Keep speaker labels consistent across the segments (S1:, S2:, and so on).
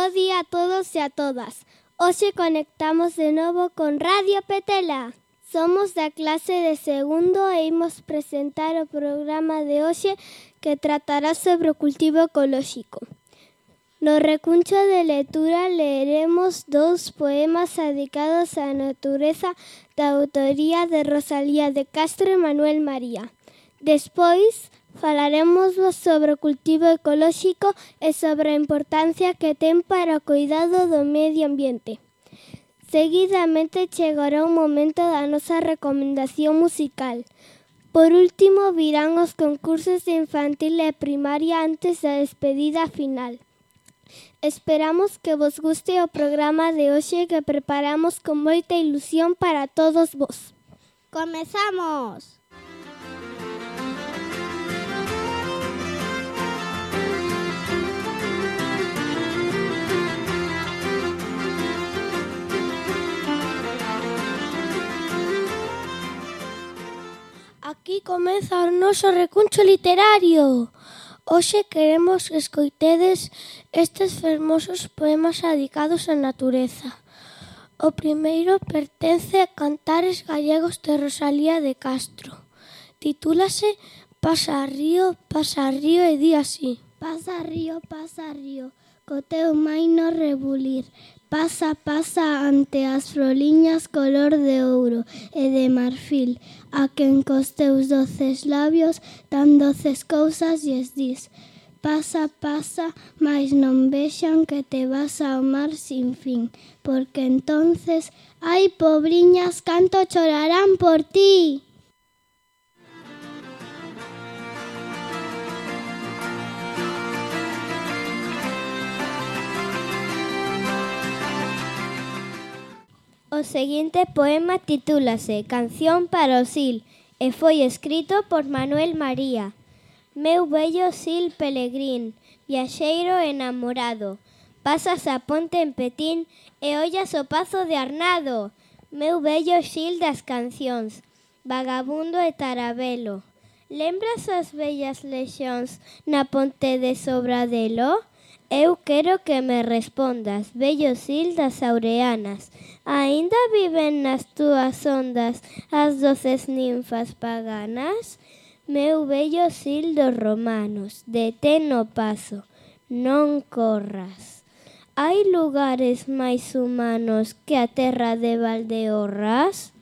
S1: Bo día a todos e a todas. Hoxe conectamos de novo con Radio Petela. Somos da clase de segundo e imos presentar o programa de hoxe que tratará sobre o cultivo ecolóxico. No recuncho de lectura leeremos 2 poemas dedicados á natureza da autoría de Rosalía de Castro e Manuel María. Despois falaremos sobre o cultivo ecolóxico e sobre a importancia que ten para o cuidado do medio ambiente. Seguidamente chegará o momento da nosa recomendación musical. Por último, virán os concursos de infantil e primaria antes da despedida final. Esperamos que vos guste o programa de hoxe que preparamos con moita ilusión para todos vos. ¡Comezamos! Aquí comeza o noso recuncho literario. Hoxe queremos que escoitedes estes fermosos poemas dedicados á natureza. O primeiro pertence a Cantares Gallegos de Rosalía de Castro. Titúlase Pasa río e di así. Pasa río, co teu maino rebulir. Pasa ante as froliñas color de ouro e de marfil, a quen cos teus doces labios tan doces cousas lles dis. Pasa, mais non vexan que te vas ao mar sin fin, porque entonces, ai, pobriñas, canto chorarán por ti. O seguinte poema titúlase Canción para o Sil e foi escrito por Manuel María. Meu bello sil pelegrín, viaxeiro enamorado, pasas a ponte en Petín e ollas o pazo de Arnado. Meu bello sil das cancións, vagabundo e tarabelo. Lembras as bellas lexóns na ponte de Sobradelo? Eu quero que me respondas, bello sil das Aureanas. Aínda viven nas túas ondas as doces ninfas paganas? Meu bello sil dos romanos, detén o paso, non corras. Hai lugares máis humanos que a terra de Valdeorras?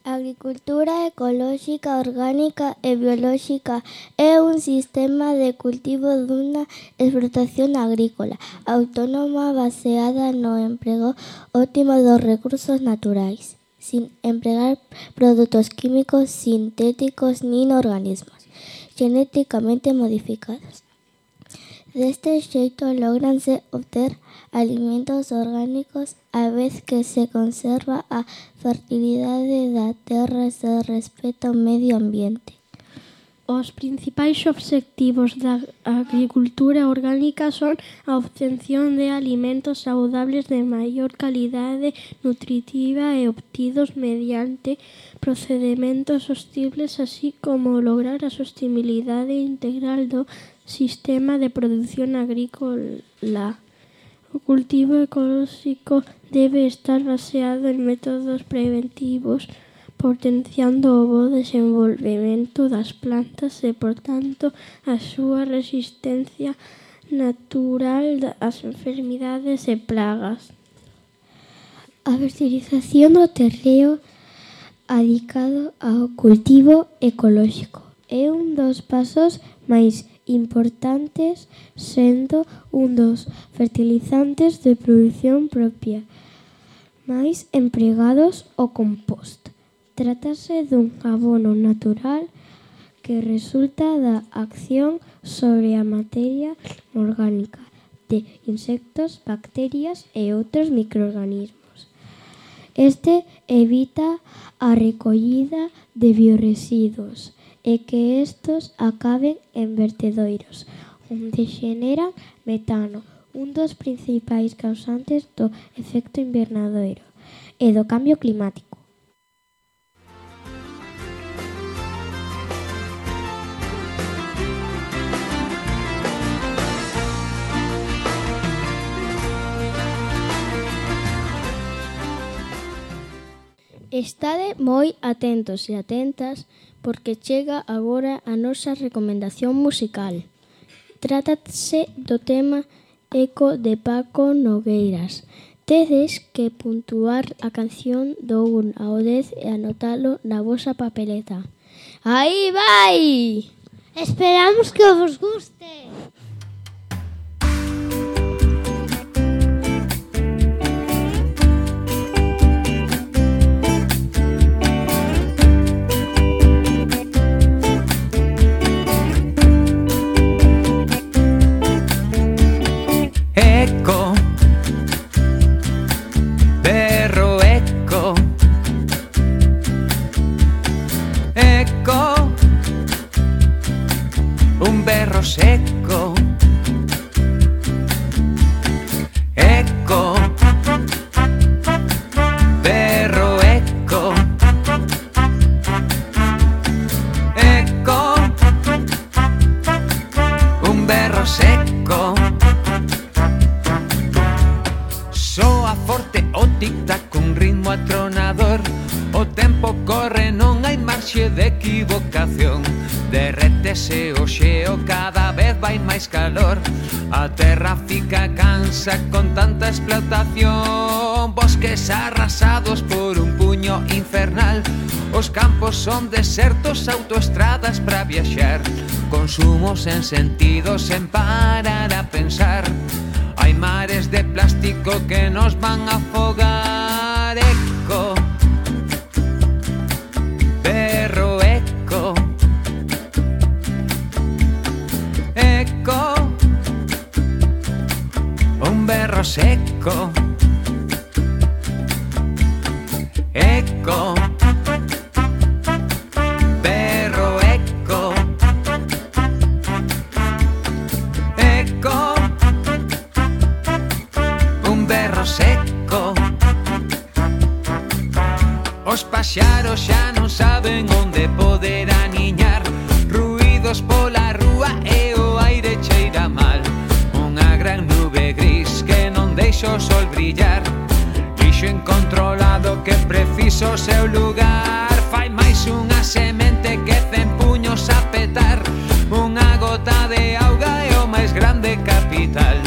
S1: A agricultura ecolóxica, orgánica e biolóxica é un sistema de cultivo dunha explotación agrícola autónoma baseada no emprego óptimo dos recursos naturais, sin empregar produtos químicos sintéticos nin organismos genéticamente modificados. Deste xeito logranse obter alimentos orgánicos a vez que se conserva a fertilidade da terra e se respeta o medio ambiente. Os principais obxectivos da agricultura orgánica son a obtención de alimentos saudables de maior calidade nutritiva e obtidos mediante procedementos sostibles, así como lograr a sostenibilidade integral do sistema de produción agrícola. O cultivo ecolóxico debe estar baseado en métodos preventivos, potenciando o bo desenvolvemento das plantas e, por tanto, a súa resistencia natural ás enfermidades e plagas. A fertilización do terreo adicado ao cultivo ecolóxico é un dos pasos máis importantes, sendo un dos fertilizantes de produción propia máis empregados o compost. Trátase dun abono natural que resulta da acción sobre a materia orgánica de insectos, bacterias e outros microorganismos. Este evita a recollida de biorresiduos e que estos acaben en vertedoiros, onde xeneran metano, un dos principais causantes do efecto invernadoiro e do cambio climático.
S2: Estade moi atentos e atentas porque chega agora a nosa recomendación musical. Trátase do tema Eco de Paco Nogueiras. Tedes que puntuar a canción do 1 ao 10 e anotalo na vosa papeleta. ¡Aí vai!
S1: Esperamos que vos guste.
S3: Eco, berro eco, eco, un berro seco, eco, berro eco, eco, un berro seco. Soa forte o tic-tac con ritmo atronador. O tempo corre, non hai marxe de equivocación. Derrétese o xeo, cada vez vai máis calor. A terra fica cansa con tanta explotación. Bosques arrasados por un puño infernal. Os campos son desertos, autoestradas para viaxar. Consumo sen sentido, sen parar a pensar. Hai mares de plástico que nos van a afogar. Eco, berro eco, eco, un berro seco, eco, berro eco, eco, un berro seco. Os paxaros xa non saben onde poder aniñar. Ruídos pola rúa e o aire cheira mal. Unha gran nube gris que non deixa o sol brillar. Lixo incontrolado que preciso o seu lugar. Fai máis unha semente que 100 puños a petar. Unha gota de auga é o máis grande capital.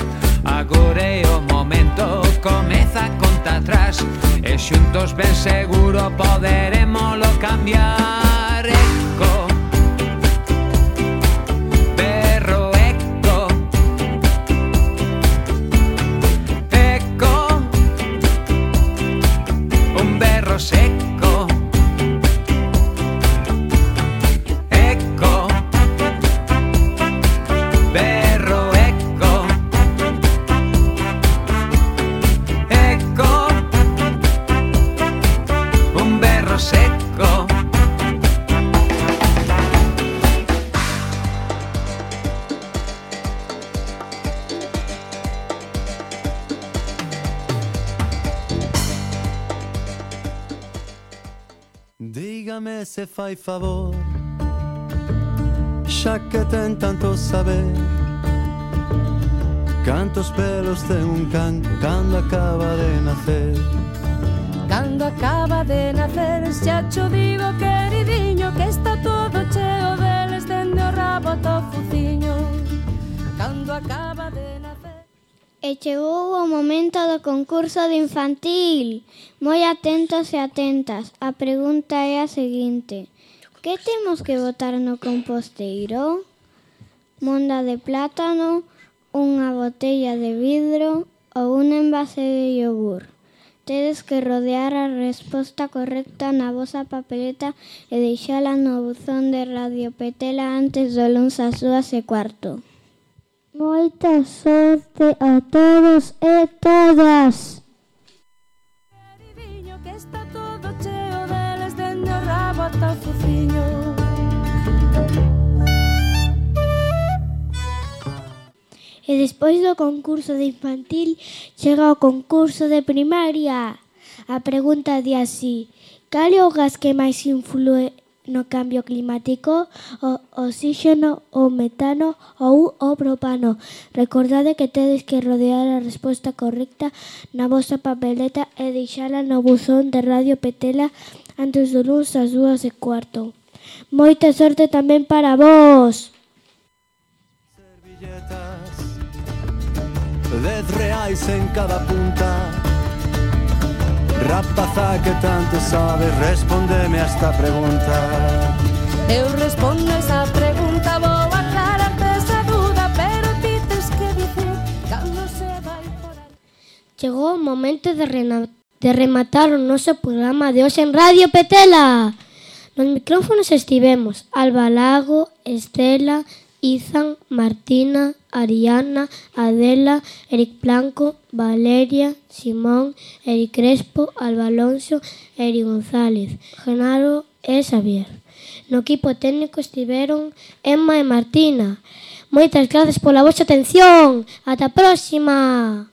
S3: Agora é o momento, comeza a conta atrás. E xuntos ben seguro poderemoslo cambiar. Eco, berro eco, eco, un berro seco, eco, berro eco, eco, un berro seco.
S4: Dígame se fai favor, xa que ten tanto saber. Cantos pelos ten un can cando acaba de nacer.
S5: Cando acaba de nacer, xa cho digo, queridiño, que está todo cheo deles dende o rabo ata o fuciño. Cando acaba de nacer.
S1: E chegou o momento do concurso de infantil. Moi atentos e atentas. A pregunta é a seguinte: que temos que botar no composteiro? Monda de plátano, unha botella de vidro ou un envase de yogur? Tedes que rodear a resposta correcta na vosa papeleta e deixala no buzón de Radio Petela antes do luns ás 2:15. Moita sorte a todos e todas!
S5: Queridiño, que está todo cheo deles dende o rabo ata o fuciño.
S1: E despois do concurso de infantil chega o concurso de primaria. A pregunta di así: cal é o gas que máis influe no cambio climático? O oxígeno, o metano ou o propano? Recordade que tedes que rodear a resposta correcta na vosa papeleta e deixala no buzón de Radio Petela
S2: antes do luns ás 2:15. Moita sorte tamén para vós.
S4: Servilletas, 10 reais en cada punta. Rapaza que tanto sabes, respóndeme a esta pregunta.
S5: Eu respondo esa pregunta, vou aclararte esa duda, pero ti tes que dicir cando se vai por aí.
S2: Chegou o momento de rematar o noso programa de hoxe en Radio Petela. Nos micrófonos estivemos Alba Lago, Estela, Izan, Martina, Ariana, Adela, Eric Blanco, Valeria, Simón, Eric Crespo, Alba Alonso, Eric González, Genaro e Xavier. No equipo técnico estiveron Emma e Martina. Moitas grazas pola vosa atención. Ata a próxima.